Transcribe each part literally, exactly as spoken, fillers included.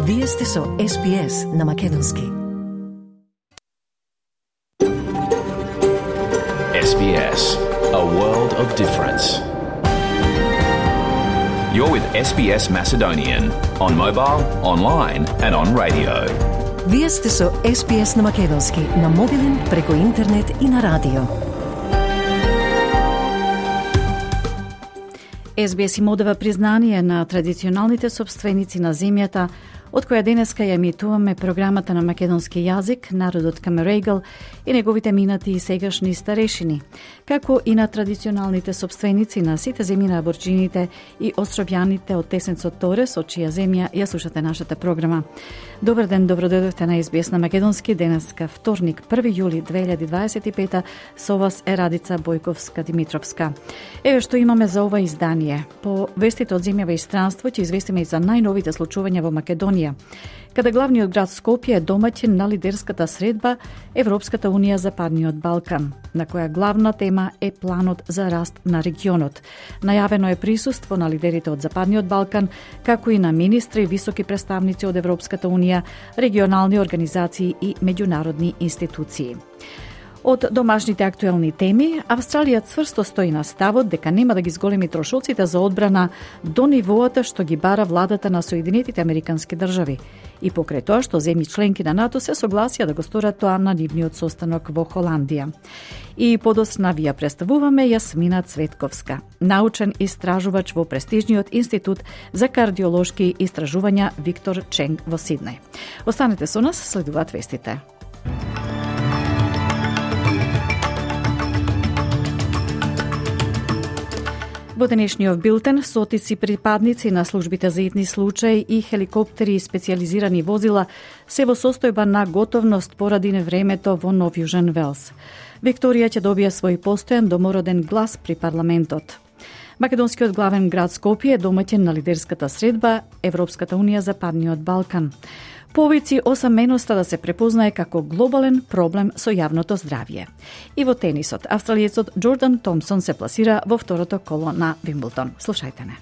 Вие сте со Ес Би Ес на Македонски. Ес Би Ес, a world of difference. You're with Ес Би Ес Macedonian on mobile, online and on radio. Вие сте со Ес Би Ес на Македонски, на мобилен, преку интернет и на радио. Ес Би Ес им одава признание на традиционалните собственици на земјата, од која денеска ја емитуваме програмата на македонски јазик, народот Камерегал и неговите минати и сегашни старешини, како и на традиционалните собственици на сите земји на аборџините и островјаните од Тесенцот Торес, од чија земја ја слушате нашата програма. Добар ден, добродојдовте на Ес Би Ес на Македонски. Денеска вторник, први јули две илјади дваесет и пета, со вас е Радица Бојковска-Димитровска. Еве што имаме за ова издание. По вестите од земјава и странство ќе известиме и за најновите случувања во Македонија, каде главниот град Скопје е домаќин на лидерската средба Европската унија Западниот Балкан, на која главна тема е планот за раст на регионот. Најавено е присуство на лидерите од Западниот Балкан, како и на министри и високи представници од Европската унија, регионални организации и меѓународни институции. Од домашните актуелни теми, Австралија цврсто стои на ставот дека нема да ги зголеми трошоците за одбрана до нивоата што ги бара владата на Соединетите Американски држави, и покрај тоа што земји членки на НАТО се согласија да го сторат тоа на нивниот состанок во Холандија. И подоцна ви ја представуваме Јасмина Цветковска, научен истражувач во престижниот институт за кардиолошки истражувања Виктор Ченг во Сиднеј. Останете со нас, следуваат вестите. Во денешниот билтен, стотици припадници на службите за итни случаи и хеликоптери и специализирани возила се во состојба на готовност поради невремето во Нов Јужен Велс. Викторија ќе добија свој постојан домороден глас при парламентот. Македонскиот главен град Скопје е домаќин на лидерската средба Европската унија Западниот Балкан. Повици осаменоста да се препознае како глобален проблем со јавното здравје. И во тенисот, австралиецот Џордан Томсон се пласира во второто коло на Вимблдон. Слушајте не.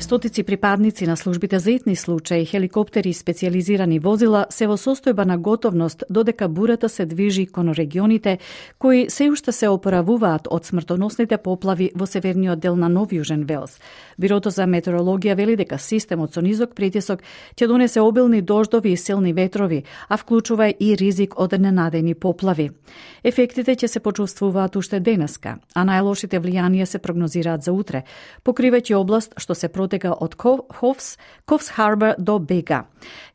Стотици припадници на службите за итни случаи, хеликоптери и специализирани возила се во состојба на готовност додека бурата се движи кон регионите кои се уште се опоравуваат од смртоносните поплави во северниот дел на Нов Јужен Велс. Бирото за метеорологија вели дека системот со низок притисок ќе донесе обилни дождови и силни ветрови, а вклучува и ризик од ненадени поплави. Ефектите ќе се почувствуваат уште денеска, а најлошите влијанија се прогнозираат за утре, покривајќи област што се протега од Ховс, Ковс Харбор до Бега.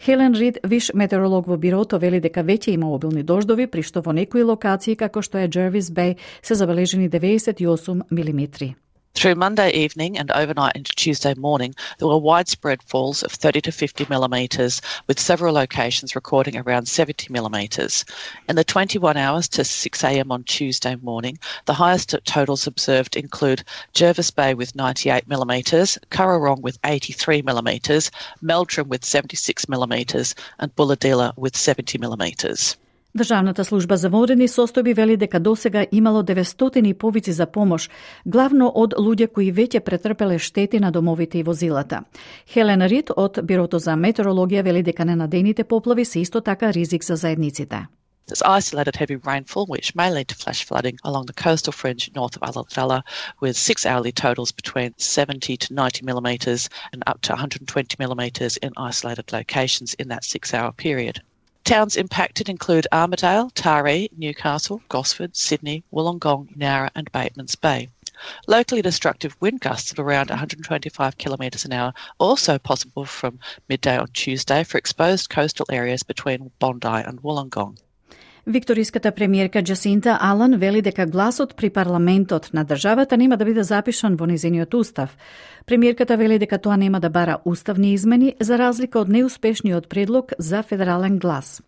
Хелен Рид, виш метеоролог во бирото, вели дека веќе има обилни дождови, при што во некои локации, како што е Джервис Беј, се забележени деветдесет и осум милиметри. Through Monday evening and overnight into Tuesday morning, there were widespread falls of thirty to fifty millimetres, with several locations recording around seventy millimetres. In the twenty-one hours to six a m on Tuesday morning, the highest totals observed include Jervis Bay with ninety-eight millimetres, Currarong with eighty-three millimetres, Meldrum with seventy-six millimetres, and Bulahdelah with seventy millimetres. Државната служба за водени состојби вели дека досега имало деветстотини повици за помош, главно од луѓе кои веќе претрпеле штети на домовите и возилата. Хелен Рид од Бирото за метеорологија вели дека ненадените поплави се исто така ризик за заедниците. There's isolated heavy rainfall, which may lead to flash flooding along the coastal fringe north of Ulladulla, with six hourly totals between seventy to ninety millimetres and up to one hundred twenty millimetres in isolated locations in that six-hour period. Towns impacted include Armidale, Taree, Newcastle, Gosford, Sydney, Wollongong, Nowra and Batemans Bay. Locally destructive wind gusts of around one hundred twenty-five kilometres an hour also possible from midday on Tuesday for exposed coastal areas between Bondi and Wollongong. Викториската премиерка Джасинта Алан вели дека гласот при парламентот на државата нема да биде запишан во незиниот устав. Премиерката вели дека тоа нема да бара уставни измени за разлика од неуспешниот предлог за федерален глас.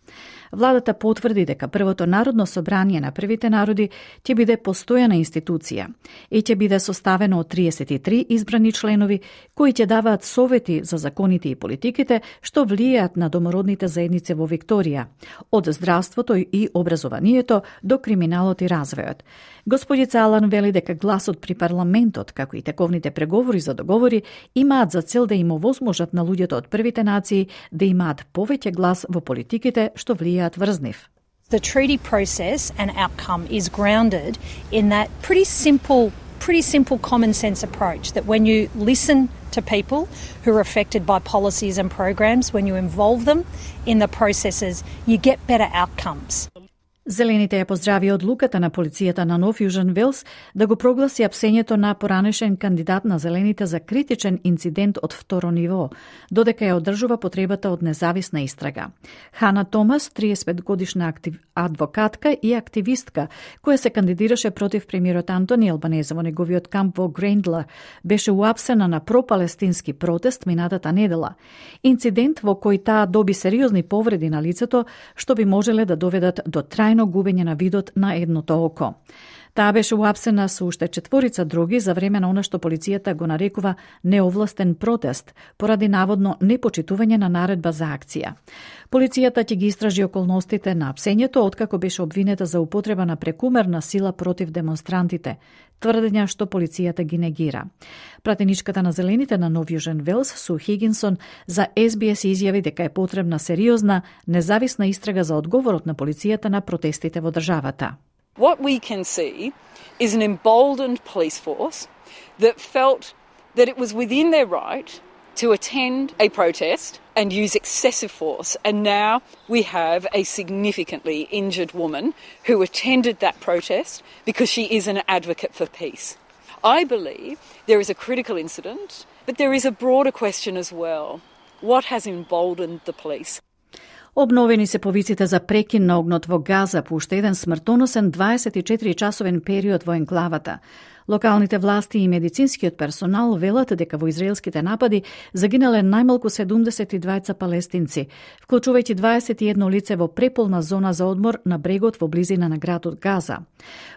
Владата потврди дека првото Народно собрание на првите народи ќе биде постојана институција и ќе биде составено од триесет и три избрани членови кои ќе даваат совети за законите и политиките што влијаат на домородните заедници во Викторија, од здравството и образованието до криминалот и развојот. Господица Алан вели дека гласот при парламентот, како и тековните преговори за договори, имаат за цел да им овозможат на луѓето од првите нации да имаат повеќе глас во политиките што влијаат врз нив. The treaty process and outcome is grounded in that pretty simple, pretty simple common sense approach that when you listen to people who are affected by policies and programs, when you involve them in the processes, you get better outcomes. Зелените ја поздрави одлуката на полицијата на Нов Јужен Велс да го прогласи апсењето на поранешен кандидат на Зелените за критичен инцидент од второ ниво, додека ја одржува потребата од независна истрага. Хана Томас, триесет и пет годишна актив... адвокатка и активистка, која се кандидираше против премиерот Антони Албанезе во неговиот камп во Грендлер, беше уапсена на пропалестински протест минатата недела. Инцидент во кој таа доби сериозни повреди на лицето, што би можеле да доведат до трајно губење на видот на едното око. Таа беше уапсена со уште четворица други за време на она што полицијата го нарекува неовластен протест, поради наводно непочитување на наредба за акција. Полицијата ќе ги истражи околностите на апсењето откако беше обвинета за употреба на прекумерна сила против демонстрантите, тврдења што полицијата ги негира. Пратеничката на Зелените на Нов Јужен Велс, Су Хигинсон, за Ес Би Ес изјави дека е потребна сериозна, независна истрага за одговорот на полицијата на протестите во државата. What we can see is an emboldened police force that felt that it was within their right to attend a protest and use excessive force. And now we have a significantly injured woman who attended that protest because she is an advocate for peace. I believe there is a critical incident, but there is a broader question as well. What has emboldened the police? Обновени се повиците за прекин на огнот во Газа по уште еден смртоносен дваесет и четири часовен период во енклавата. Локалните власти и медицинскиот персонал велат дека во израелските напади загинале најмалку седумдесет и двајца палестинци, вклучувајќи дваесет и едно лице во преполна зона за одмор на брегот во близина на градот Газа.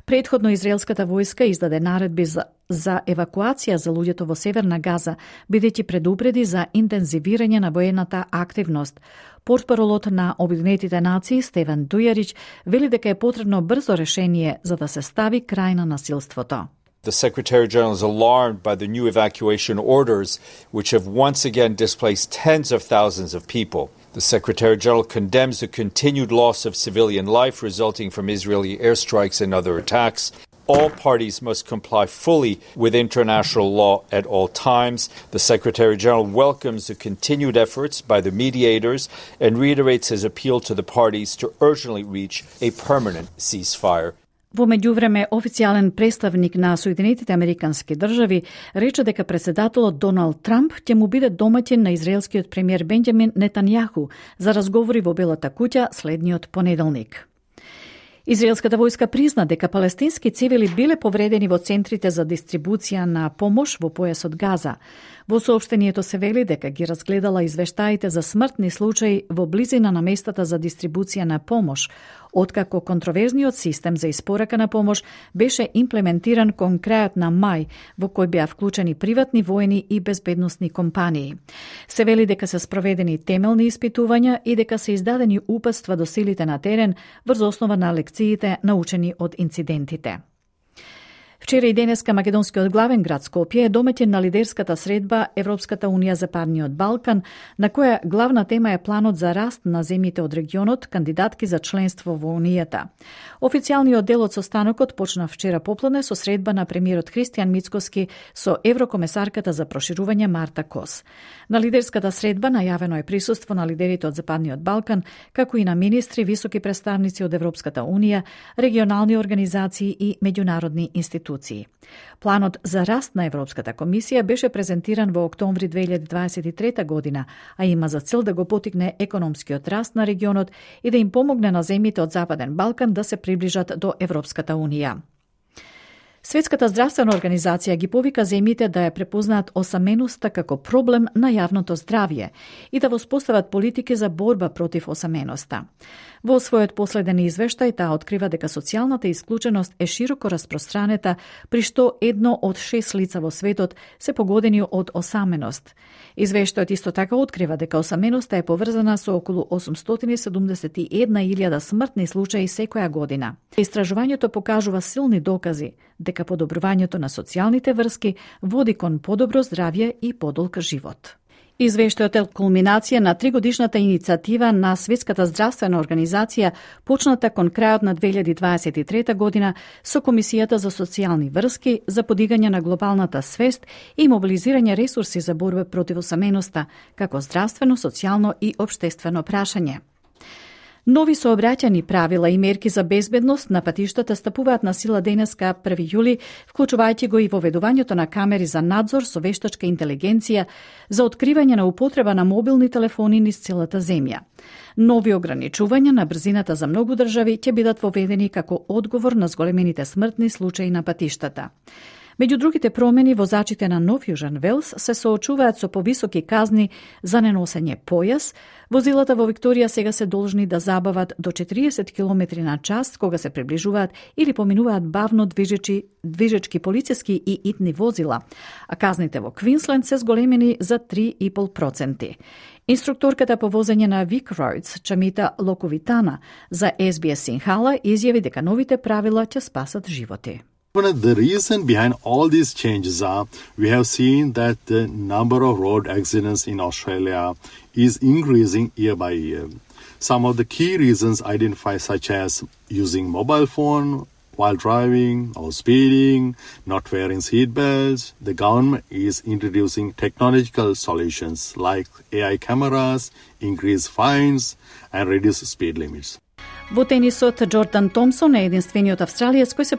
Претходно израелската војска издаде наредби за, за евакуација за луѓето во северна Газа, бидејќи предупреди за интензивирање на воената активност. Портпаролот на Обединетите нации Стевен Дујарич вели дека е потребно брзо решение за да се стави крај на насилството. The Secretary General is alarmed by the new evacuation orders, which have once again displaced tens of thousands of people. The Secretary General condemns the continued loss of civilian life resulting from Israeli airstrikes and other attacks. All parties must comply fully with international law at all times. The Secretary General welcomes the continued efforts by the mediators and reiterates his appeal to the parties to urgently reach a permanent ceasefire. Во меѓувреме, официјален представник на Соединетите Американски држави рече дека председателот Доналд Трамп ќе му биде домаќин на израелскиот премиер Бенџамин Нетањаху за разговори во Белата куќа следниот понеделник. Израелската војска призна дека палестински цивили биле повредени во центрите за дистрибуција на помош во појасот Газа. Во соопштението се вели дека ги разгледала извештаите за смртни случаи во близина на местата за дистрибуција на помош, откако контроверзниот систем за испорака на помош беше имплементиран кон крајот на мај, во кој беа вклучени приватни воени и безбедносни компании. Се вели дека се спроведени темелни испитувања и дека се издадени упатства до силите на терен врз основа на лекциите научени од инцидентите. Вчера и денеска македонскиот главен град Скопје е домаќин на лидерската средба Европската унија за Западниот Балкан, на која главна тема е планот за раст на земјите од регионот, кандидатки за членство во Унијата. Официјалниот дел од состанокот почна вчера попладне со средба на премиерот Христијан Мицкоски со еврокомесарката за проширување Марта Кос. На лидерската средба најавено е присуство на лидерите од Западниот Балкан, како и на министри, високи представници од Европската унија, регионални организации и меѓународни институции. Планот за раст на Европската комисија беше презентиран во октомври две илјади дваесет и трета година, а има за цел да го потикне економскиот раст на регионот и да им помогне на земјите од Западен Балкан да се приближат до Европската унија. Светската здравствена организација ги повика земјите да ја препознаат осаменоста како проблем на јавното здравје и да воспостават политики за борба против осаменоста. Во својот последен извештај таа открива дека социјалната исклученост е широко распространета, при што едно од шест лица во светот се погодени од осаменост. Извештајот исто така открива дека осаменоста е поврзана со околу осумстотини и седумдесет и една илјада смртни случаи секоја година. Истражувањето покажува силни докази дека подобрувањето на социјалните врски води кон подобро здравје и подолг живот. Извештајот е кулминација на тригодишната иницијатива на Светската здравствена организација, почната кон крајот на две илјади дваесет и трета година со Комисијата за социјални врски за подигање на глобалната свест и мобилизирање ресурси за борба против осаменоста, како здравствено, социјално и општествено прашање. Нови сообраќајни правила и мерки за безбедност на патиштата стапуваат на сила денеска први јули, вклучувајќи го и воведувањето на камери за надзор со вештачка интелигенција за откривање на употреба на мобилни телефони низ целата земја. Нови ограничувања на брзината за многу држави ќе бидат воведени како одговор на зголемените смртни случаи на патиштата. Меѓу другите промени, возачите на Нов Јужен Велс се соочуваат со повисоки казни за неносење појас. Возилата во Викторија сега се должни да забават до четириесет километри на час кога се приближуваат или поминуваат бавно движечи, движечки полициски и итни возила, а казните во Квинсленд се зголемени за три и пол проценти. Инструкторката по возење на Вик Роудс, Чамита Локовитана, за Ес Би Ес Синхала изјави дека новите правила ќе спасат животи. The reason behind all these changes are we have seen that the number of road accidents in Australia is increasing year by year. Some of the key reasons identified such as using mobile phone while driving or speeding, not wearing seat belts. The government is introducing technological solutions like A I cameras, increased fines and reduced speed limits. Во тенисот, Джордан Томсон е единствениот австралиец кој се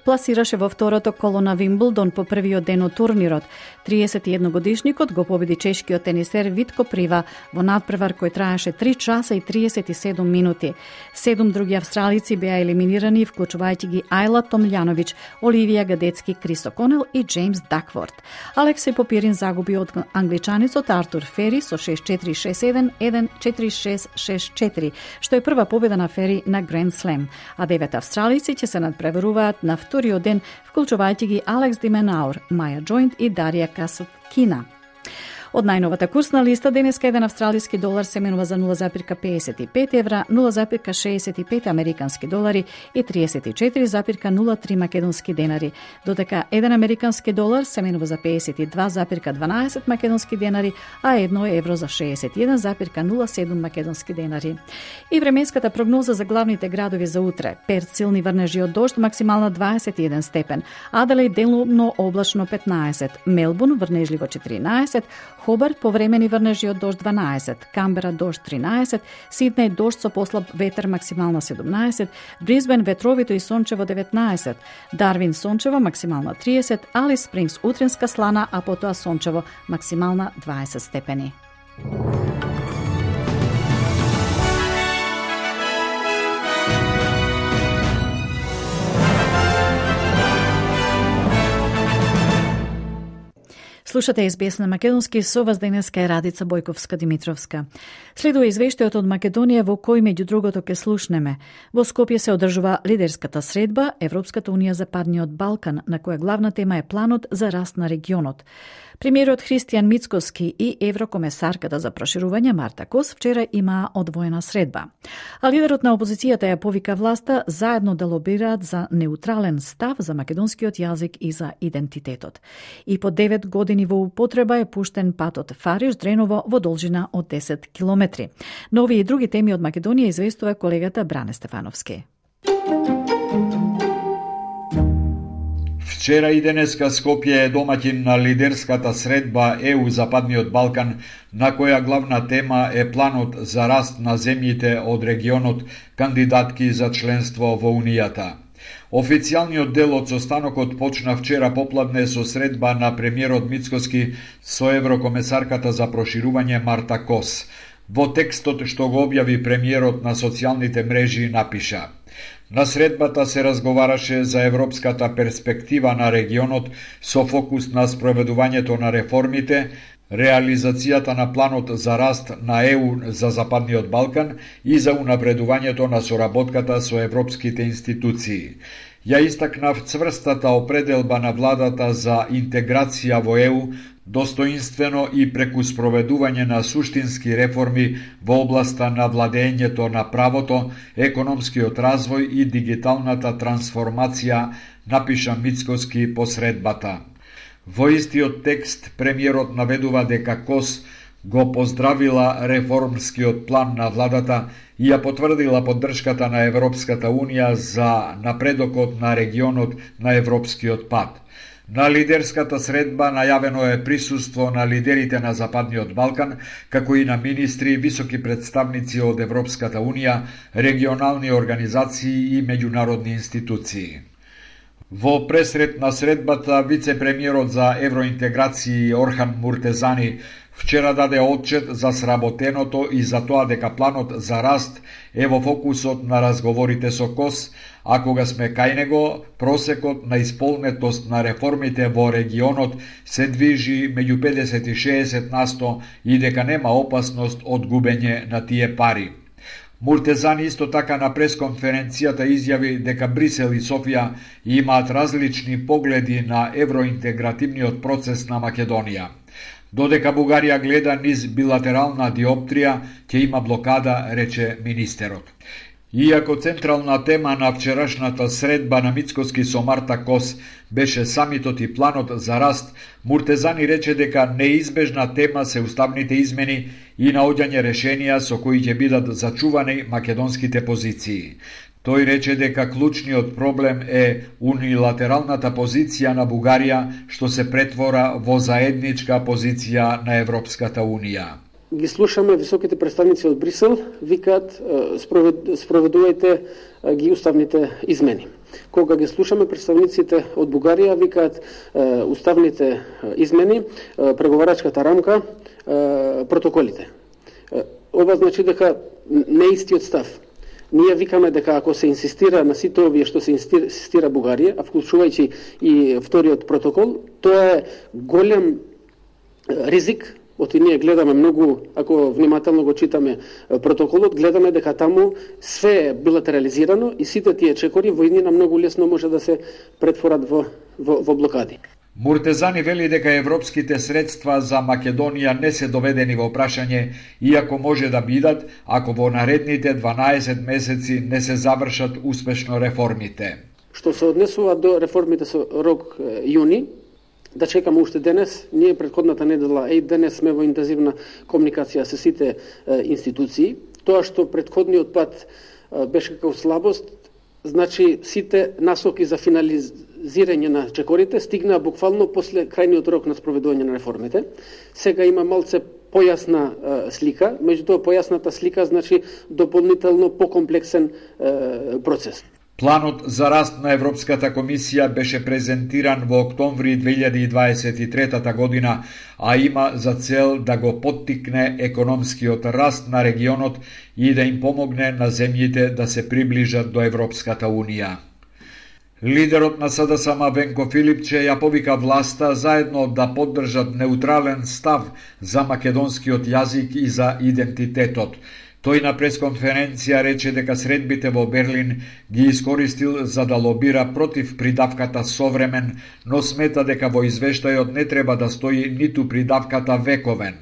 пласираше во второто коло на Вимблдон по првиот ден од турнирот. триесет и едногодишникот го победи чешкиот тенисер Витко Прива во надпревар кој траеше три часа и триесет и седум минути. Седум други австралици беа елиминирани, вклучувајќи ги Ајла Томљановиќ, Оливија Гадецки, Крис О'Конел и Джеймс Дакворд. Алексеј Попирин загуби од англичаницот Артур Фери со шест четири шест еден еден четири шест шест четири, што е прва победа на Фери на Гранд Слем, а девет австралици ќе се надпреваруваат на вториот ден, вклучувајќи ги Алекс Дименаур, Маја Джойнт и Дарија Касаткина. Од најновата курсна листа, денеска еден австралиски долар се менува за нула запирка педесет и пет евра, нула запирка шеесет и пет американски долари и триесет и четири запирка нула три македонски денари, додека еден американски долар се менува за педесет и два запирка дванаесет македонски денари, а едно евро за шеесет и еден запирка нула седум македонски денари. И временската прогноза за главните градови за утре: Перт силни врнежи од дожд, максимална дваесет и еден степен, Аделаид делумно облачно петнаесет, Мелбурн врнежливо четиринаесет, Хобарт повремени врнежи од дожд дванаесет, Камбера дожд тринаесет, Сиднеј дожд со послаб ветер максимална седумнаесет, Брисбен ветровито и сончево деветнаесет, Дарвин сончево максимална триесет, Алис Спрингс утринска слана, а потоа сончево максимална дваесет степени. Слушате Ес Би Ес на македонски, со вас денеска е Радица Бојковска-Димитровска. Следува извештајот од Македонија во кој меѓу другото ке слушнеме. Во Скопје се одржува лидерската средба Европската унија за Западниот Балкан, на која главна тема е планот за раст на регионот. Премиерот Христијан Мицкоски и еврокомесарката за проширување Марта Кос вчера имаа одвоена средба. А лидерот на опозицијата ја повика власта заедно да лобираат за неутрален став за македонскиот јазик и за идентитетот. И по девет години во употреба е пуштен патот Фариш-Дреново во должина од десет километри. Но овие и други теми од Македонија известува колегата Бране Стефановски. Вчера и денеска Скопје е домаќин на лидерската средба Е У Западниот Балкан, на која главна тема е планот за раст на земјите од регионот кандидатки за членство во Унијата. Официјалниот дел од состанокот почна вчера попладне со средба на премиерот Мицкоски со еврокомесарката за проширување Марта Кос. Во текстот што го објави премиерот на социјалните мрежи напиша: На средбата се разговараше за европската перспектива на регионот со фокус на спроведувањето на реформите, реализацијата на планот за раст на Е У за Западниот Балкан и за унапредувањето на соработката со европските институции. Ја истакнав цврстата определба на владата за интеграција во Е У, достоинствено и преку спроведување на суштински реформи во областа на владењето на правото, економскиот развој и дигиталната трансформација, напиша Мицкоски по средбата. Во истиот текст премиерот наведува дека КОС го поздравила реформскиот план на владата и ја потврдила поддршката на Европската Унија за напредокот на регионот на европскиот пат. На лидерската средба најавено е присуство на лидерите на Западниот Балкан, како и на министри, високи представници од Европската Унија, регионални организации и меѓународни институции. Во пресред на средбата, вице-премиерот за евроинтеграции Орхан Муртезани вчера даде отчет за сработеното и за тоа дека планот за раст е во фокусот на разговорите со КОС, а кога сме кај него, просекот на исполнетост на реформите во регионот се движи меѓу педесет и шеесет насто и дека нема опасност од губење на тие пари. Муртезани исто така на пресконференцијата изјави дека Брисел и Софија имаат различни погледи на евроинтегративниот процес на Македонија. Додека Бугарија гледа низ билатерална диоптрија, ќе има блокада, рече министерот. Иако централна тема на вчерашната средба на Мицкоски со Марта Кос беше самитот и планот за раст, Муртезани рече дека неизбежна тема се уставните измени и наоѓање решенија со кои ќе бидат зачувани македонските позиции. Тој рече дека клучниот проблем е унилатералната позиција на Бугарија, што се претвора во заедничка позиција на Европската Унија. Ги слушаме високите представници од Брисел, викаат спроведувајте ги уставните измени. Кога ги слушаме представниците од Бугарија, викаат уставните измени, преговарачката рамка, протоколите. Ова значи дека не е истиот став. Ние викаме дека ако се инсистира на сите овие што се инсистира Бугарија, а вклучувајќи и вториот протокол, тоа е голем ризик. Оти ние гледаме многу, ако внимателно го читаме протоколот, гледаме дека таму све е билатерализирано и сите тие чекори во иднина многу лесно може да се претворат во, во, во блокади. Муртезани вели дека европските средства за Македонија не се доведени во прашање, иако може да бидат, ако во наредните дванаесет месеци не се завршат успешно реформите. Што се однесува до реформите со рок јуни, да чекаме уште денес. Ние претходната недела и денес сме во интензивна комуникација со сите е, институции. Тоа што претходниот пат е, беше како слабост, значи сите насоки за финализирање на чекорите стигнаа буквално после крајниот рок на спроведување на реформите. Сега има малце појасна е, слика, меѓутоа појасната слика значи дополнително покомплексен е, процес. Планот за раст на Европската комисија беше презентиран во октомври две илјади дваесет и трета година, а има за цел да го поттикне економскиот раст на регионот и да им помогне на земјите да се приближат до Европската Унија. Лидерот на С Д С М Венко Филипче ја повика власта заедно да поддржат неутрален став за македонскиот јазик и за идентитетот. Тој на пресконференција рече дека средбите во Берлин ги искористил за да лобира против придавката современ, но смета дека во извештајот не треба да стои ниту придавката вековен.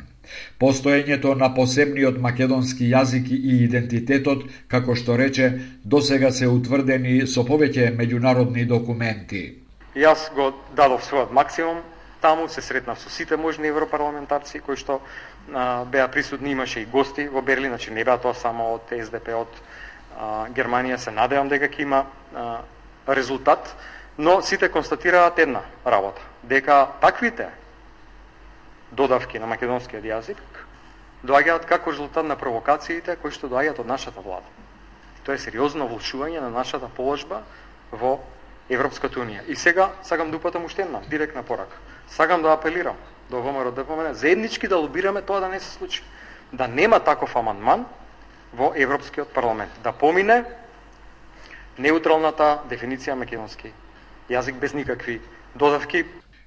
Постоењето на посебниот македонски јазик и идентитетот, како што рече, досега се утврдени со повеќе меѓународни документи. Јас го дадов својот максимум, таму се сретнав со сите можни европарламентарци кои што а, беа присутни, имаше и гости во Берлин, значи не беа тоа само од С Д П, од а, Германија, се надевам дека ќе има а, резултат, но сите констатираат една работа, дека таквите додавки на македонскиот јазик доаѓаат како резултат на провокациите кои што доаѓаат од нашата влада. Тоа е сериозно влошување на нашата положба во Европската Унија. И сега сакам да упатам уште една директна порака. Сакам да апелирам до Во М Р Д П М Н заеднички да лобираме тоа да не се случи. Да нема таков амандман во Европскиот парламент. Да помине неутралната дефиниција македонски јазик без никакви додавки.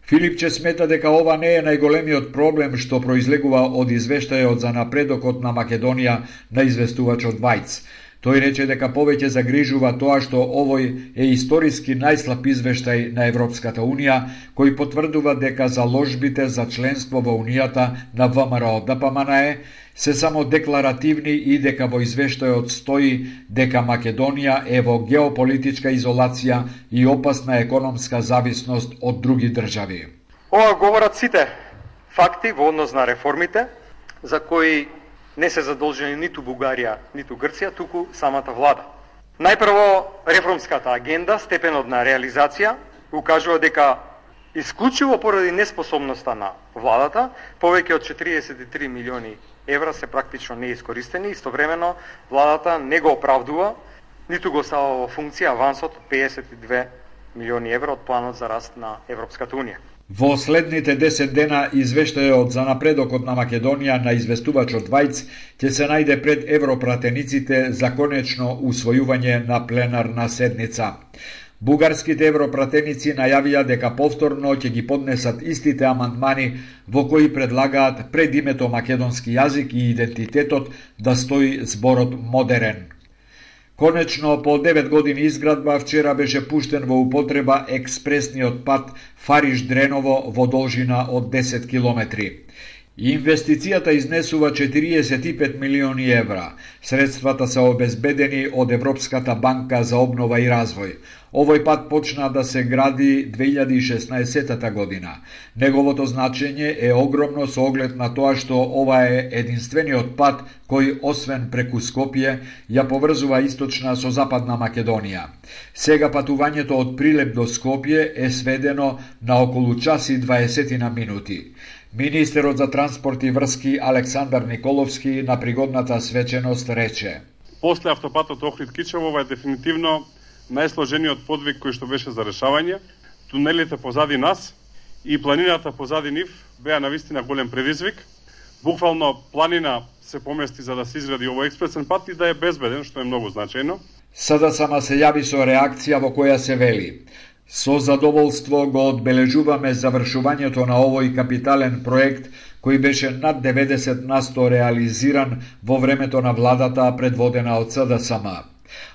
Филипче смета дека ова не е најголемиот проблем што произлегува од извештајот за напредокот на Македонија на известувачот Вајц. Тој рече дека повеќе загрижува тоа што овој е историски најслаб извештај на Европската Унија, кој потврдува дека заложбите за членство во Унијата на ВМРО Д П М Н Е се само декларативни и дека во извештајот стои дека Македонија е во геополитичка изолација и опасна економска зависност од други држави. Ова говорат сите факти во однос на реформите, за кои не се задолжени ниту Бугарија, ниту Грција, туку самата влада. Најпрво, реформската агенда, степенот на реализација, укажува дека исклучиво поради неспособноста на владата, повеќе од четириесет и три милиони евра се практично неискористени, истовремено владата не го оправдува, ниту го става во функција авансот од педесет и две милиони евра од планот за раст на Европската Унија. Во следните десет дена извештајот за напредокот на Македонија на известувачот Вајц ќе се најде пред европратениците за конечно усвојување на пленарна седница. Бугарските европратеници најавија дека повторно ќе ги поднесат истите амандмани во кои предлагаат пред името македонски јазик и идентитетот да стои зборот модерен. Конечно, по девет години изградба, вчера беше пуштен во употреба експресниот пат Фариш-Дреново во должина од десет километри. Инвестицијата изнесува четириесет и пет милиони евра. Средствата се обезбедени од Европската банка за обнова и развој. Овој пат почна да се гради две илјади и шеснаесетта година. Неговото значење е огромно со оглед на тоа што ова е единствениот пат кој, освен преку Скопје, ја поврзува источна со западна Македонија. Сега патувањето од Прилеп до Скопје е сведено на околу час и дваесет минути. Министерот за транспорт и врски Александар Николовски на пригодната свеченост рече: После автопатот Охрид-Кичево, ова е дефинитивно најсложениот подвиг кој што беше за решавање. Тунелите позади нас и планината позади нив беа навистина голем предизвик. Буквално планина се помести за да се изгради овој експресен пат и да е безбеден, што е многу значајно. СДСМ се јави со реакција во која се вели: Со задоволство го одбележуваме завршувањето на овој капитален проект кој беше над деветдесет на сто реализиран во времето на владата предводена од СДСМ.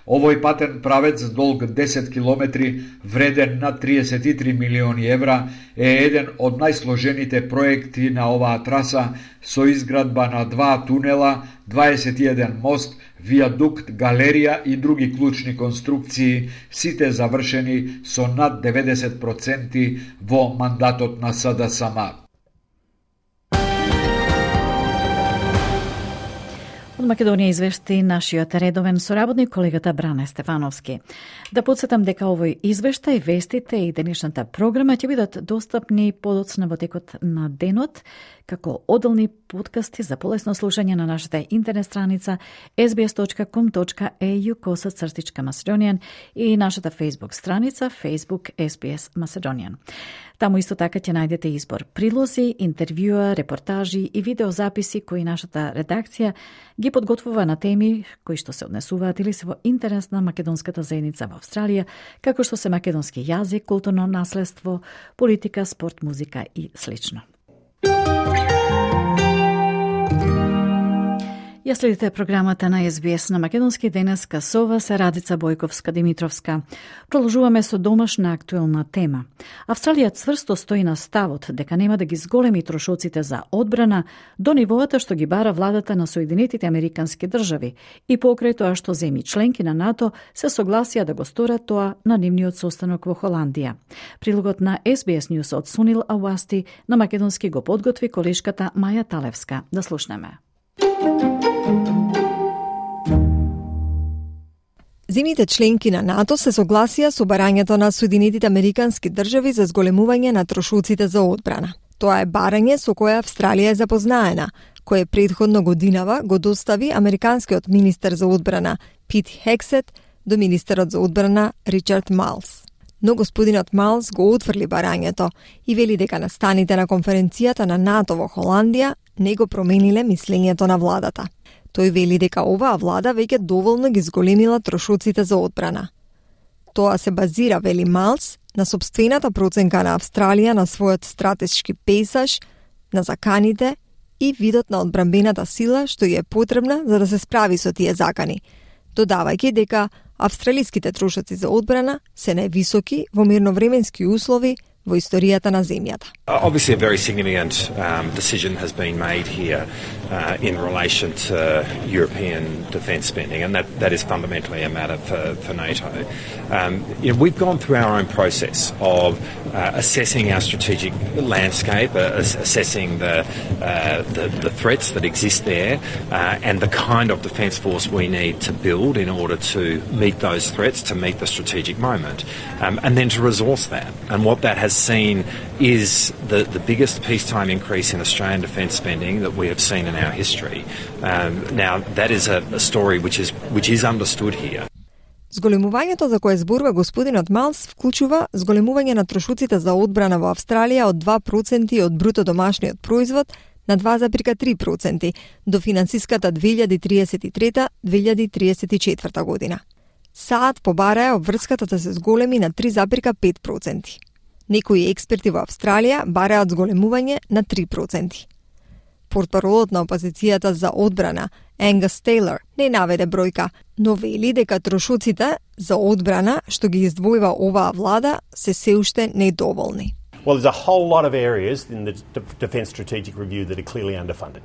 Овој патен правец долг десет километри, вреден над триесет и три милиони евра, е еден од најсложените проекти на оваа траса со изградба на два тунела, дваесет и еден мост, виадукт, галерија и други клучни конструкции, сите завршени со над деветдесет проценти во мандатот на СДСМ. Од Македонија извешти нашиот редовен соработник колегата Бране Стефановски. Да подсетам дека овој извештај, вестите и денешната програма ќе бидат достапни подоцна во текот на денот, како одделни подкасти за полесно слушање на нашата интернет страница ес би ес точка ком точка е ю коса цртичка Macedonian и нашата Facebook страница Facebook ес би ес Macedonian. Таму исто така ќе најдете избор прилози, интервјуа, репортажи и видеозаписи кои нашата редакција ги подготвува на теми кои што се однесуваат или се во интерес на македонската заедница во Австралија, како што се македонски јазик, културно наследство, политика, спорт, музика и слично. Ја следите програмата на ес би ес на македонски. Денеска со вас е Радица Бојковска-Димитровска. Продолжуваме со домашна актуелна тема. Австралија цврсто стои на ставот дека нема да ги зголеми трошоците за одбрана до нивоата што ги бара владата на Соединетите Американски држави и покрај тоа што земји членки на НАТО се согласија да го сторат тоа на нивниот состанок во Холандија. Прилогот на ес би ес News од Сунил Ауасти на македонски го подготви колешката Маја Талевска. Да слушнеме. Земјите членки на НАТО се согласија со барањето на Соединетите Американски држави за зголемување на трошоците за одбрана. Тоа е барање со кое Австралија е запознаена, кое претходно годинава го достави американскиот министер за одбрана Пит Хексет до министерот за одбрана Ричард Малс. Но господинот Малс го отфрли барањето и вели дека настаните на конференцијата на НАТО во Холандија не го промениле мислењето на владата. Тој вели дека оваа влада веќе доволно ги зголемила трошоците за одбрана. Тоа се базира, вели Малс, на собствената проценка на Австралија на својот стратешки пейсаж, на заканите и видот на одбранбената сила што ја е потребна за да се справи со тие закани, додавајќи дека австралиските трошоци за одбрана се највисоки во мирновременски услови во историјата на земјата. Obviously a very significant um, decision has been made here uh, in relation to European defence spending, and that, that is fundamentally a matter for, for NATO. Um, you know, we've gone through our own process of uh, assessing our strategic landscape, uh, assessing the, uh, the the threats that exist there, uh, and the kind of defence force we need to build in order to meet those threats, to meet the strategic moment, um, and then to resource that. And what that has seen is the, the biggest peacetime increase in Australian defence spending that we have seen in our history. Um, now, that is a, a story which is which is understood here. Зголемувањето за кое зборува господинот Малс вклучува зголемување на трошоците за одбрана во Австралија од два проценти од бруто домашниот производ на два зарез три проценти до финансиската две илјади триесет и трета - две илјади триесет и четврта година. САД побараа обврската да се зголеми на три зарез пет проценти. Некои експерти во Австралија бараат зголемување на три проценти. Портпаролот на опозицијата за одбрана, Енгас Тейлор, не наведе бројка, но вели дека трошоците за одбрана што ги издвојува оваа влада се се уште недоволни. Well, there's a whole lot of areas in the Defence Strategic Review that are clearly underfunded.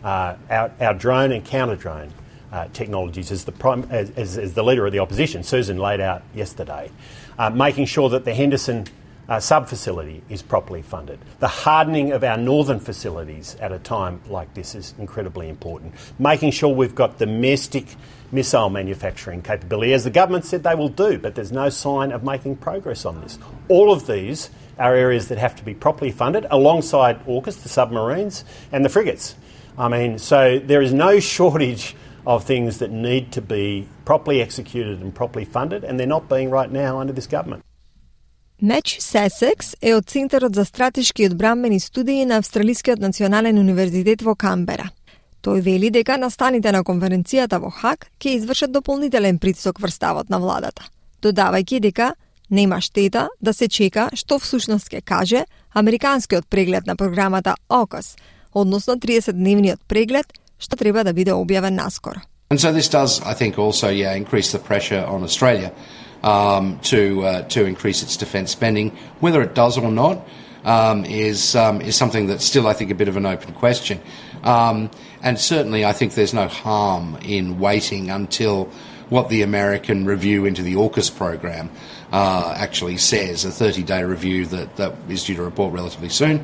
Uh, our, our drone and counter-drone uh, technologies, as the, prime, as, as, as the leader of the opposition, Susan, laid out yesterday, uh, making sure that the Henderson Uh, sub-facility is properly funded. The hardening of our northern facilities at a time like this is incredibly important. Making sure we've got domestic missile manufacturing capability, as the government said they will do, but there's no sign of making progress on this. All of these are areas that have to be properly funded alongside AUKUS, the submarines, and the frigates. I mean, so there is no shortage of things that need to be properly executed and properly funded, and they're not being right now under this government. Меч Сесекс е од Центарот за стратешки и одбранбени студии на Австралискиот национален универзитет во Камбера. Тој вели дека настаните на конференцијата во Хаг ќе извршат дополнителен притисок врз ставот на владата, додавајќи дека нема штета да се чека што всушност ќе каже американскиот преглед на програмата AUKUS, односно тридесетдневниот преглед што треба да биде објавен наскоро. And so this does, I think, also yeah, increase the pressure on Australia um, to uh, to increase its defence spending. Whether it does or not um, is um, is something that's still, I think, a bit of an open question. Um, and certainly, I think there's no harm in waiting until what the American review into the AUKUS program uh, actually says, a thirty-day review that, that is due to report relatively soon.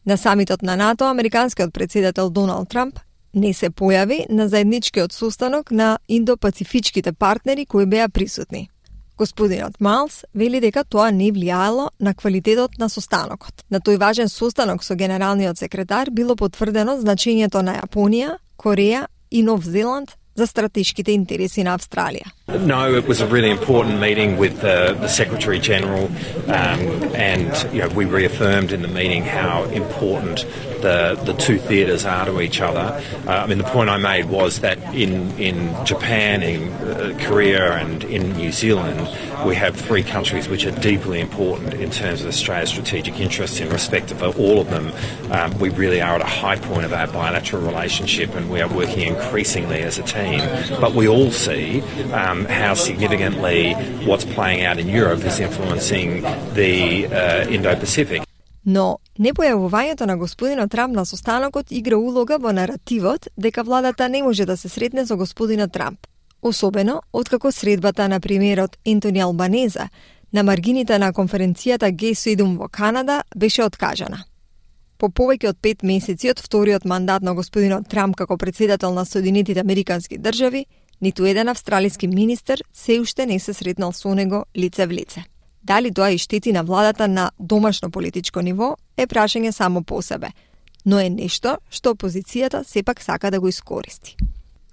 На самитот на НАТО, американскиот председател Доналд Трамп не се појави на заедничкиот состанок на индо-пацифичките партнери кои беа присутни. Господинот Малс вели дека тоа не влијаело на квалитетот на состанокот. На тој важен состанок со генералниот секретар било потврдено значењето на Јапонија, Кореја и Нов Зеланд за стратешките интереси на Австралија. No, it was a really important meeting with the, the Secretary General, um, and you know, we reaffirmed in the meeting how important the the two theatres are to each other. Uh, I mean, the point I made was that in in Japan, in uh, Korea, and in New Zealand, we have three countries which are deeply important in terms of Australia's strategic interests in respect of all of them. Um, we really are at a high point of our bilateral relationship, and we are working increasingly as a team. But we all see um, how significantly what's playing out in Europe is influencing the uh, Indo-Pacific. Но непојавувањето на господинот Трамп на состанокот игра улога во наративот дека владата не може да се сретне со господинот Трамп. Особено откако средбата на премиерот Ентони Албанеза на маргините на конференцијата Г седум во Канада беше откажана. По повеќе од пет месеци од вториот мандат на господинот Трамп како председател на Соединетите Американски држави, ниту еден австралиски министер се уште не се сретнал со него лице в лице. Дали тоа и штети на владата на домашно политичко ниво е прашање само по себе, но е нешто што опозицијата сепак сака да го искористи.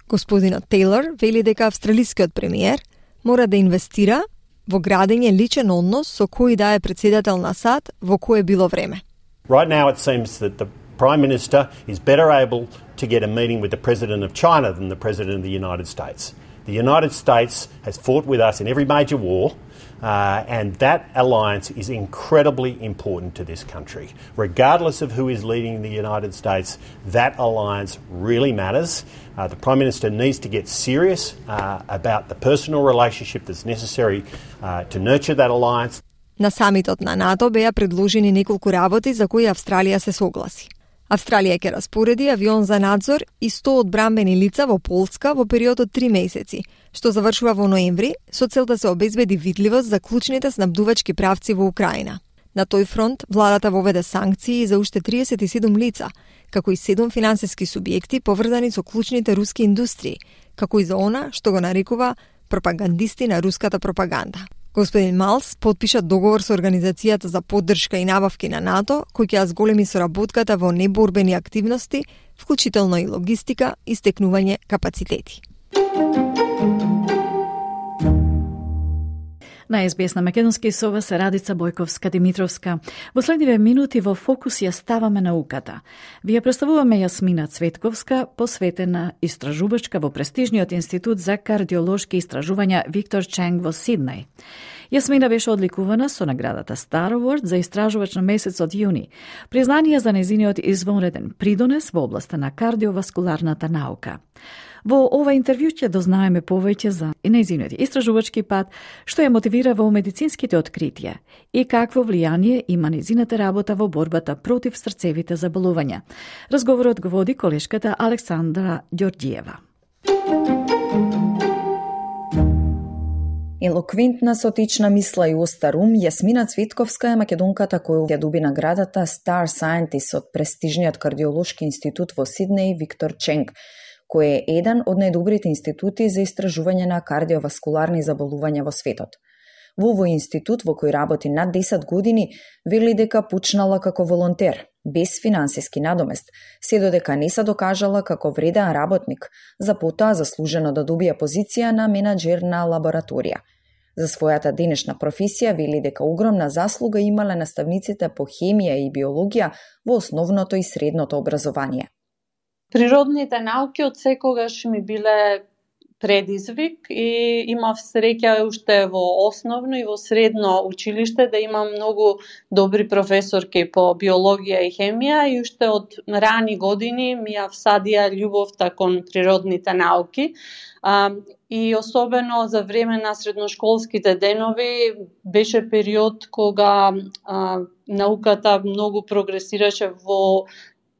Господинот Тейлор вели дека австралискиот премиер мора да инвестира во градење личен однос со кој да е председател на САД во кое било време. Right now it seems that the Prime Minister is better able to get a meeting with the President of China than the President of the United States. The United States has fought with us in every major war. Uh, and that alliance is incredibly important to this country. Regardless of who is leading the United States, that alliance really matters. Uh, the Prime Minister needs to get serious uh, about the personal relationship that's necessary uh, to nurture that alliance. На самитот на НАТО беа предложени неколку работи за кои Австралија се согласи. Австралија ќе распореди авион за надзор и сто одбранбени лица во Полска во период од три месеци, што завршува во ноември, со цел да се обезбеди видливост за клучните снабдувачки правци во Украина. На тој фронт, владата воведе санкции за уште триесет и седум лица, како и седум финансиски субјекти поврзани со клучните руски индустрии, како и за она што го нарекува пропагандисти на руската пропаганда. Господин Малс потпиша договор со Организацијата за поддршка и набавки на НАТО, кој ќе ја зголеми соработката во неборбени активности, вклучително и логистика и стекнување капацитети. На ес би ес на македонски со вас Радица Бојковска-Димитровска. Во следниве минути во фокус ја ставаме науката. Ви ја представуваме Јасмина Цветковска, посветена истражувачка во престижниот институт за кардиолошки истражувања Виктор Ченг во Сиднеј. Јасмина беше одликувана со наградата Star Award за истражувач на месецот јуни, признание за нејзиниот извонреден придонес во областа на кардиоваскуларната наука. Во ова интервју ќе дознаеме повеќе за нејзиниот истражувачки пат, што ја мотивира во медицинските откритија и какво влијание има нејзината работа во борбата против срцевите заболувања. Разговорот го води колешката Александра Ѓорѓиева. Елоквентна со течна мисла и остар ум, Јасмина Цветковска е македонката која ја доби наградата Star Scientist од престижниот кардиолошки институт во Сиднеј Виктор Ченг, кој е еден од најдобрите институти за истражување на кардиоваскуларни заболувања во светот. Во овој институт, во кој работи над десет години, вели дека почнала како волонтер, без финансиски надомест, се додека не се докажала како вреден работник, за потоа заслужено да добија позиција на менаџер на лабораторија. За својата денешна професија вели дека огромна заслуга имале наставниците по хемија и биологија во основното и средното образование. Природните науки од секогаш ми биле предизвик и имав среќа уште во основно и во средно училиште да имам многу добри професорки по биологија и хемија и уште од рани години ми ја всадија љубовта кон природните науки. А, и особено за време на средношколските денови беше период кога а, науката многу прогресираше во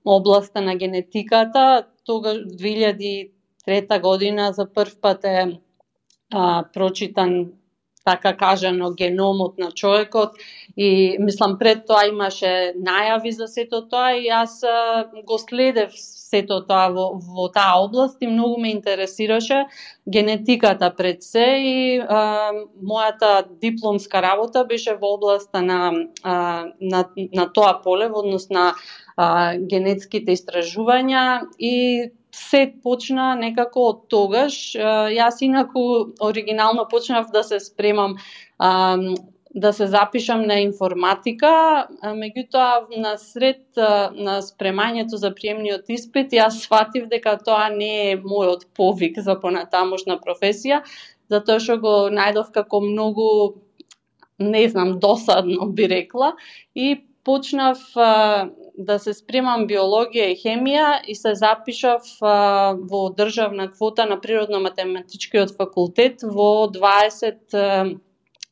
областа на генетиката. Тога две илјади и трета година за прв пат е а, прочитан, така кажано, геномот на човекот и мислам пред тоа имаше најави за сето тоа и јас а, го следев сето тоа во, во таа област и многу ме интересираше генетиката пред се и а, мојата дипломска работа беше во областа на, а, на, на тоа поле, во однос на а, генетските истражувања и се почна некако од тогаш. Јас инаку оригинално почнав да се спремам да се запишам на информатика, меѓутоа на сред на спремањето за приемниот испит јас сватив дека тоа не е мојот повик за понатамошна професија, затоа што го најдов како многу, не знам, досадно би рекла и почнав да се спремам биологија и хемија и се запишав а, во државна квота на Природно-математичкиот факултет во дваесет,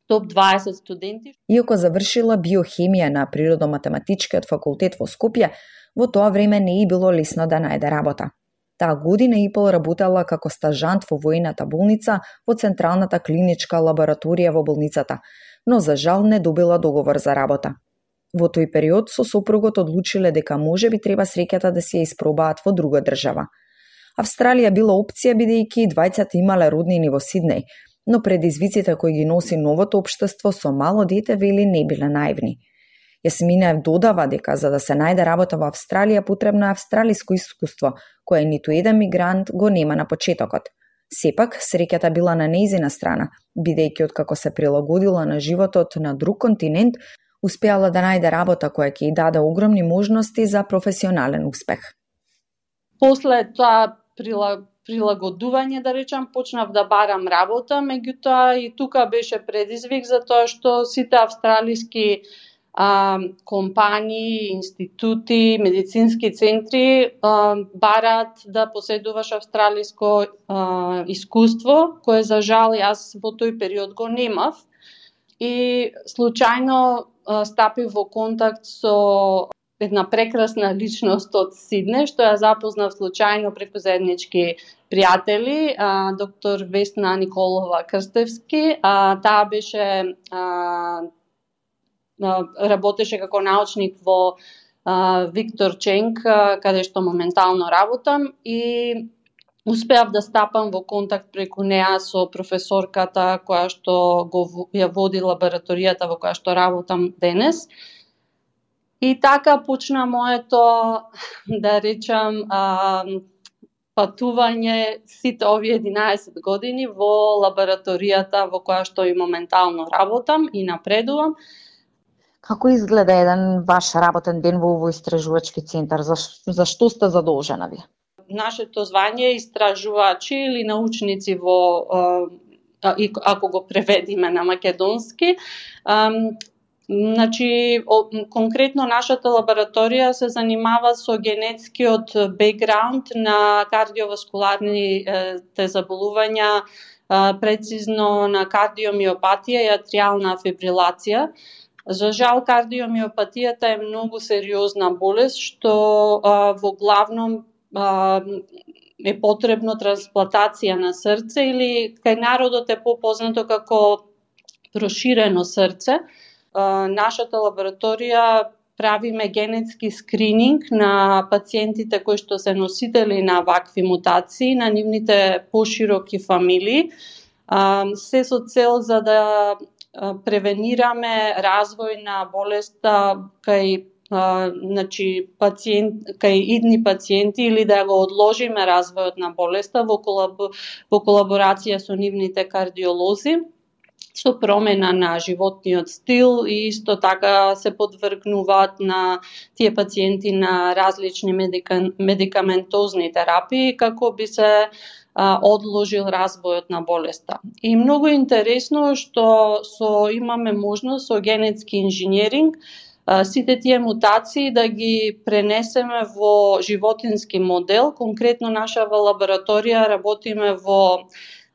топ дваесет студенти. Иако завршила биохемија на Природно-математичкиот факултет во Скопје, во тоа време не е било лесно да најде работа. Таа година и пол работела како стажант во војната болница во Централната клиничка лабораторија во болницата, но за жал не добила договор за работа. Во тој период со сопругот одлучиле дека може би треба среќата да се ја испробаат во друга држава. Австралија била опција бидејќи двајцата имале роднини во Сиднеј, но предизвиците кои ги носи новото општество со мало дете вели не биле наивни. Јасмина додава дека за да се најде работа во Австралија потребно е австралиско искуство, кое ниту еден мигрант го нема на почетокот. Сепак, среќата била на нејзина страна, бидејќи откако се прилагодила на животот на друг континент, успеала да најде работа која ќе ја даде огромни можности за професионален успех. После тоа прилагодување, да речам, почнав да барам работа, меѓутоа и тука беше предизвик затоа што сите австралиски а, компании, институти, медицински центри а, барат да поседуваш австралиско а, искуство, кое за жал јас во тој период го немав. И случајно а, стапив во контакт со една прекрасна личност од Сидне, што ја запознав случајно преку заеднички пријатели, а, доктор Весна Николова Крстевски. А, таа беше а, работеше како научник во а, Виктор Ченк, а, каде што моментално работам, и успеав да стапам во контакт преку неа со професорката која што го ја води лабораторијата во која што работам денес. И така почна моето, да речам, а, патување сите овие единаесет години во лабораторијата во која што и моментално работам и напредувам. Како изгледа еден ваш работен ден во овој истражувачки центар? За, за што сте задолжена ви? Нашето звање е истражувачи или научници во, ако го преведиме на македонски. Значи, конкретно нашата лабораторија се занимава со генетскиот бекграунд на кардиоваскуларните заболувања, прецизно на кардиомиопатија и атриална фибрилација. За жал, кардиомиопатијата е многу сериозна болест, што а, во главном а, е потребно трансплантација на срце или кај народот е попознато како проширено срце. А, нашата лабораторија правиме генетски скрининг на пациентите кои што се носители на вакви мутации, на нивните пошироки фамилии, а, се со цел за да превенираме развој на болеста кај а, значи, пациент, кај идни пациенти или да го одложиме развојот на болеста во, колаб, во колаборација со нивните кардиолози, со промена на животниот стил и исто така се подвргнуваат на тие пациенти на различни медика, медикаментозни терапии како би се одложил развојот на болеста. И многу интересно што со имаме можност со генетски инженеринг сите тие мутации да ги пренесеме во животински модел. Конкретно наша лабораторија работиме во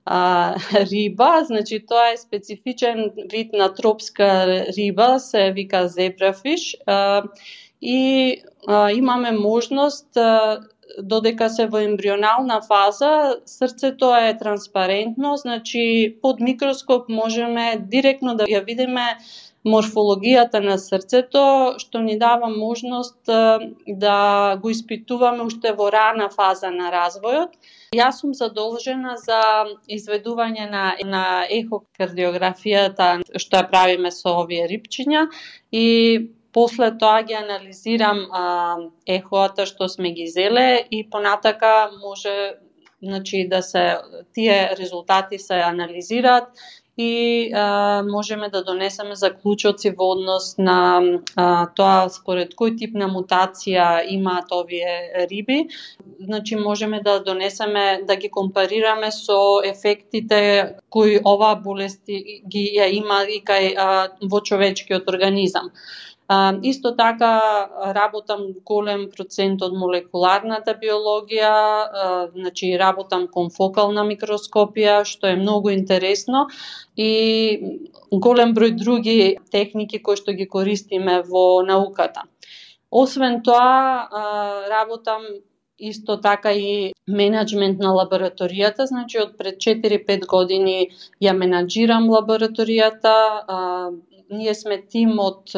а, риба, значи тоа е специфичен вид на тропска риба, се вика зебрафиш, а, и а, имаме можност а, додека се во ембрионална фаза, срцето е транспарентно, значи под микроскоп можеме директно да ја видиме морфологијата на срцето, што ни дава можност да го испитуваме уште во рана фаза на развојот. Јас сум задолжена за изведување на, на ехокардиографијата што ја правиме со овие рибчиња и после тоа ги анализирам а, ехоата што сме ги зеле и понатака може, значи, да се тие резултати се анализираат и а, можеме да донесеме заклучоци во однос на а, тоа според кој тип на мутација имаат овие риби. Значи можеме да донесеме, да ги компарираме со ефектите кои оваа болест ги ја има и кај а, во човечкиот организам. Uh, исто така работам голем процент од молекуларната биологија, uh, значи работам конфокална микроскопија, што е многу интересно и голем број други техники кои што ги користиме во науката. Освен тоа, uh, работам исто така и менеджмент на лабораторијата, значи од пред четири-пет години ја менаџирам лабораторијата. Uh, ние сме тим од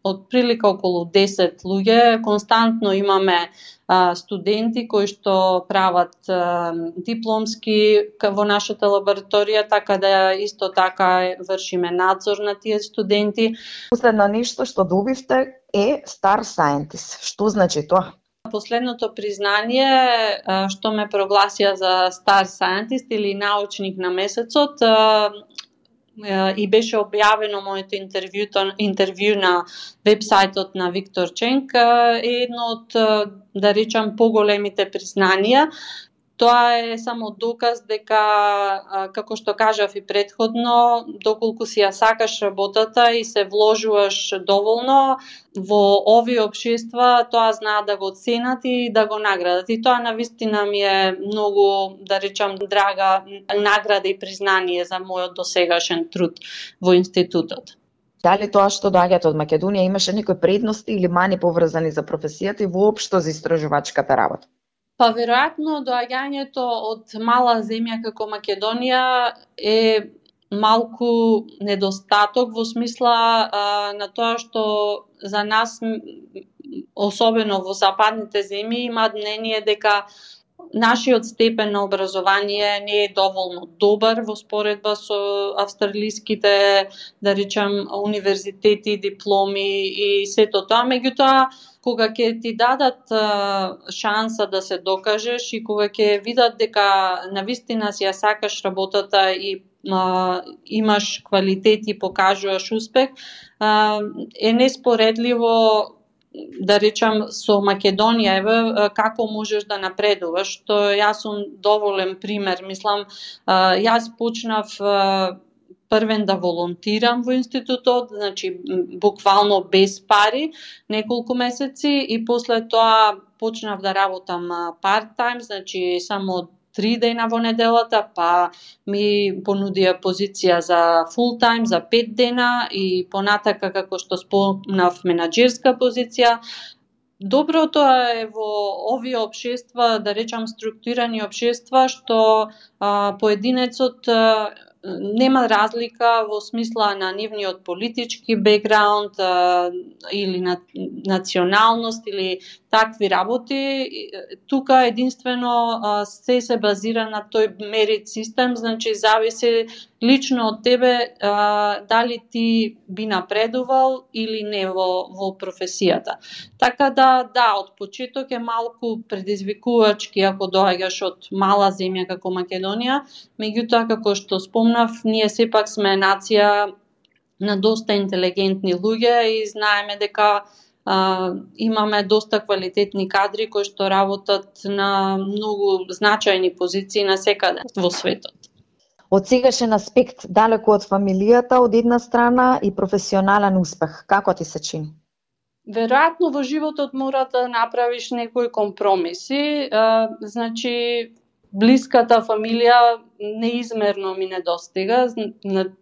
од прилика околу десет луѓе, константно имаме а, студенти кои што прават а, дипломски во нашата лабораторија, така да исто така вршиме надзор на тие студенти. Последно нешто што добивте е Star Scientist. Што значи тоа? Последното признание а, што ме прогласија за Star Scientist или научник на месецот, а, и беше објавено моето интервју, интервју на вебсајтот на Виктор Ченк, е едно од, да речам, поголемите признанија. Тоа е само доказ дека, како што кажав и претходно, доколку си ја сакаш работата и се вложуваш доволно во овие општества, тоа знаат да го оценат и да го наградат. И тоа навистина ми е многу, да речам, драга награда и признание за мојот досегашен труд во институтот. Дали тоа што доаѓате од Македонија имаше некои предности или мани поврзани за професијата и воопшто за истражувачката работа? Па веројатно доаѓањето од мала земја како Македонија е малку недостаток во смисла а, на тоа што за нас, особено во западните земји, имаат мнение дека нашиот степен на образование не е доволно добар во споредба со австралиските, да речам, универзитети, дипломи и сето тоа. Меѓутоа, кога ќе ти дадат а, шанса да се докажеш и кога ќе видат дека навистина си ја сакаш работата и а, имаш квалитет и покажуваш успех, а, е неспоредливо, да речам, со Македонија, еве, како можеш да напредуваш, што јас сум доволен пример. Мислам, јас почнав првен да волонтирам во институтот, значи буквално без пари, неколку месеци, и после тоа почнав да работам part-time, значи само три дена во неделата, па ми понудија позиција за full-time, за пет дена и понатака, како што спомнав, менаџерска позиција. Доброто е во овие општества, да речам структурирани општества, што а, поединецот а, нема разлика во смисла на нивниот политички бекграунд а, или на националност или такви работи. Тука единствено а, се се базира на тој мерит систем, значи зависи лично од тебе а, дали ти би напредувал или не во, во професијата. Така да, да, од почеток е малку предизвикувачки ако доаѓаш од мала земја како Македонија, меѓутоа, како што спомнав, ние сепак сме нација на доста интелигентни луѓе и знаеме дека а, имаме доста квалитетни кадри кои што работат на многу значајни позиции на секаде во светот. Од сегашен аспект, далеку од фамилијата од една страна и професионален успех, како ти се чини? Веројатно во животот мора да направиш некои компромиси, а, значи блиската фамилија неизмерно ми недостига,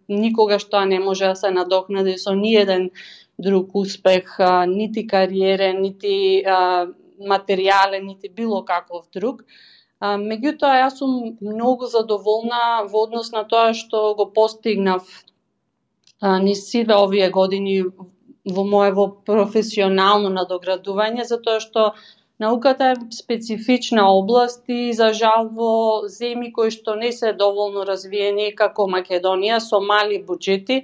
никогаш тоа не може да се надокнади со ниеден друг успех, а, нити кариерен, нити а, материјален, нити било каков друг. А, меѓутоа, јас сум многу задоволна во однос на тоа што го постигнав а, низ сите овие години во моево професионално надоградување, затоа што науката е специфична област и за жал во земји кои што не се доволно развиени како Македонија со мали буџети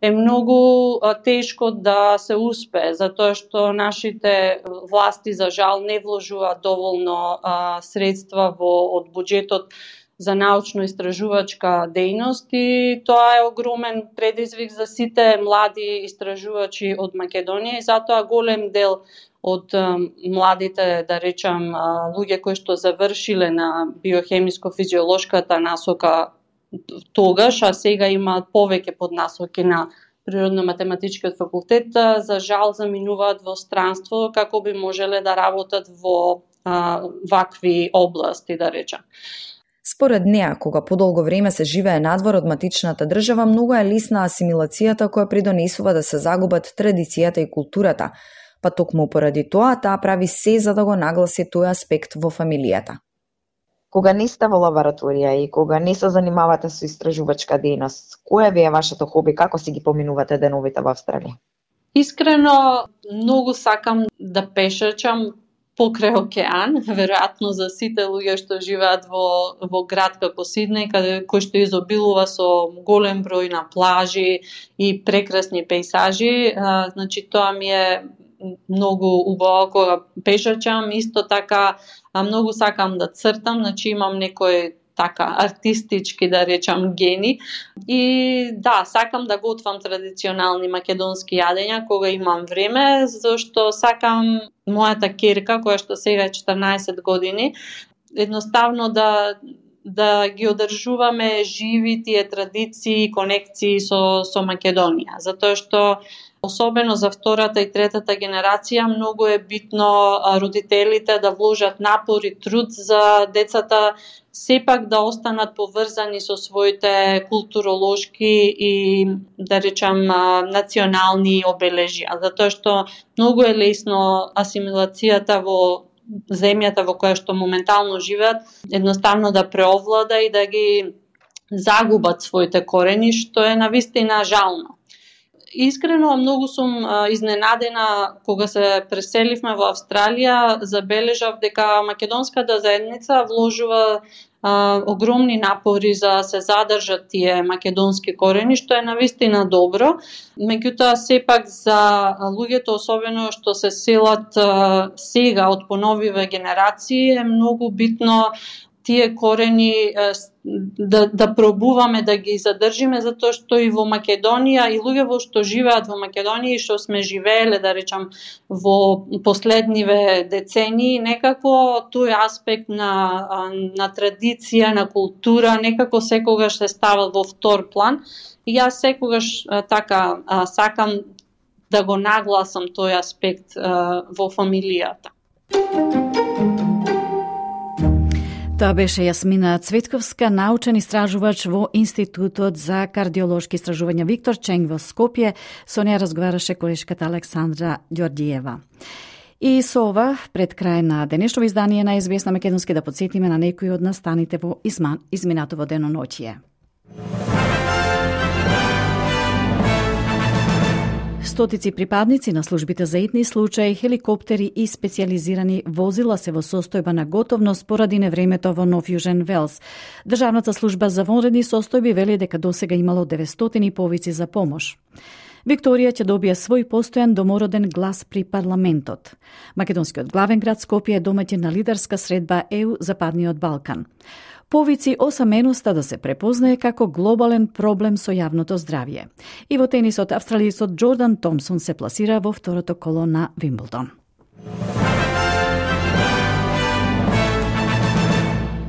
е многу а, тешко да се успее, затоа што нашите власти за жал не вложуваат доволно а, средства во од буџетот за научно-истражувачка дејност и тоа е огромен предизвик за сите млади истражувачи од Македонија и затоа голем дел од а, младите, да речам, а, луѓе кои што завршиле на биохемиско-физиолошката насока тогаш, а сега имаат повеќе поднасоки на природно-математичкиот факултет, за жал заминуваат во странство како би можеле да работат во а, вакви области, да речам. Според неа, кога подолго време се живее надвор од матичната држава, многу е лесна асимилацијата која придонесува да се загубат традицијата и културата, па токму поради тоа таа прави се за да го нагласи тој аспект во фамилијата. Кога не сте во лабораторија и кога не се занимавате со истражувачка дејност, која ви е вашето хоби, како си ги поминувате деновите во Австралија? Искрено, многу сакам да пешачам покрај океан, веројатно за сите луѓе што живеат во, во град како Сиднеј, каде кој што изобилува со голем број на плажи и прекрасни пејсажи, а, значи тоа ми е многу убаво кога пешачам. Исто така а, многу сакам да цртам, значи имам некој така артистички, да речам, гени. И да, сакам да готвам традиционални македонски јадења кога имам време, зашто сакам мојата ќерка, која што сега е четрнаесет години, едноставно да да ги одржуваме живи тие традиции и конекции со со Македонија, затоа што особено за втората и третата генерација многу е битно родителите да вложат напор и труд за децата сепак да останат поврзани со своите културолошки и, да речам, национални обележја, затоа што многу е лесно асимилацијата во земјата во која што моментално живеат едноставно да преовлада и да ги загубат своите корени, што е навистина жално. Искрено многу сум а, изненадена кога се преселивме во Австралија, забележав дека македонската заедница вложува а, огромни напори за се задржат тие македонски корени, што е навистина добро. Меѓутоа сепак за луѓето, особено што се селат а, сега од поновиве генерации, е многу битно тие корени да, да пробуваме да ги задржиме, затоа што и во Македонија, и луѓе во што живеат во Македонија и што сме живееле, да речам, во последниве децении, некако тој аспект на, на традиција, на култура, некако секогаш се става во втор план. И јас секогаш така сакам да го нагласам тој аспект во фамилијата. Тоа беше Јасмина Цветковска, научен истражувач во Институтот за кардиолошки истражувања Виктор Ченг во Скопје. Со неја разговараше колешката Александра Ѓорѓиева. И со ова, пред крај на денешното издание на Ес Би Ес на македонски, да подсетиме на некои од настаните во изман, изминатово деноноќие. Стотици припадници на службите за итни случаи, хеликоптери и специализирани возила се во состојба на готовност поради невремето во Нов Јужен Велс. Државната служба за вонредни состојби вели дека досега имало деветстотини повици за помош. Викторија ќе добие свој постојан домороден глас при парламентот. Македонскиот главен град Скопје е домаќин на лидерска средба Е У Западниот Балкан. Повици осаменоста да се препознае како глобален проблем со јавното здравје. И во тенисот австралијецот Џордан Томсон се пласира во второто коло на Вимблдон.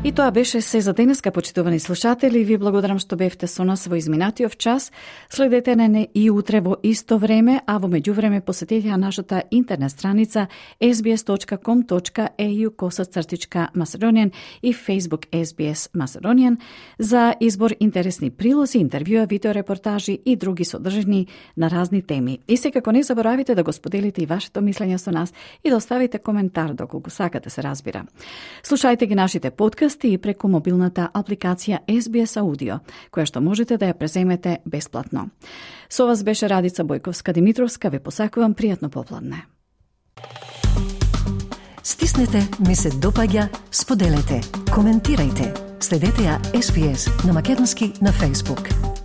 И тоа беше се за денеска, почитувани слушатели. Ви благодарам што бевте со нас во изминатиот час. Следете не и утре во исто време, а во меѓувреме посетете нашата интернет страница ес би ес точка ком точка е ю косацртичка Macedonian и Facebook Ес Би Ес Macedonian за избор интересни прилози, интервјуа, видеорепортажи и други содржини на разни теми. И секако не заборавите да го споделите и вашето мислење со нас и да оставите коментар доколку сакате, се разбира. Слушајте ги нашите подкасти и преку мобилната апликација Ес Би Ес Аудио, која што можете да ја преземете бесплатно. Со вас беше Радица Бојковска-Димитровска. Ве посакувам пријатно попладне. Стиснете, ми се допаѓа, споделете, коментирајте. Следете ја Ес Би Ес на македонски на Facebook.